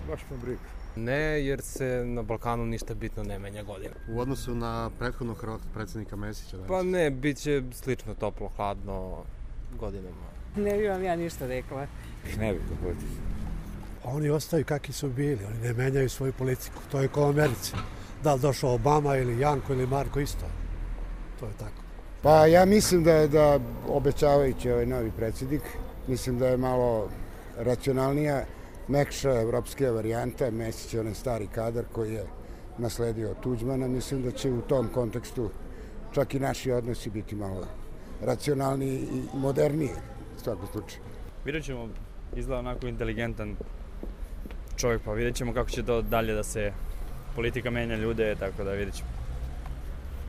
Baš me briga. Ne, jer se na Balkanu ništa bitno ne menja godina. U odnosu na prethodnog predsjednika Mesića? Pa ne, bit će slično toplo, hladno godinama. Ne bi vam ja ništa rekla. Ne bi to bude. Oni ostaju kakvi su bili, oni ne menjaju svoju politiku. To je kao u Americi. Da li došao Obama ili Janko ili Marko, isto. To je tako. Pa ja mislim da obećavajući ovaj novi predsjednik, mislim da je malo racionalnija, mekša evropska varijanta. Mesić je onaj stari kadar koji je nasledio od Tuđmana. Mislim da će u tom kontekstu čak i naši odnosi biti malo racionalniji i moderniji u svakom slučaju. Vidjet ćemo, izgleda onako inteligentan čovjek, pa vidjet ćemo kako će to dalje da se politika menja ljude, tako da vidjet ćemo.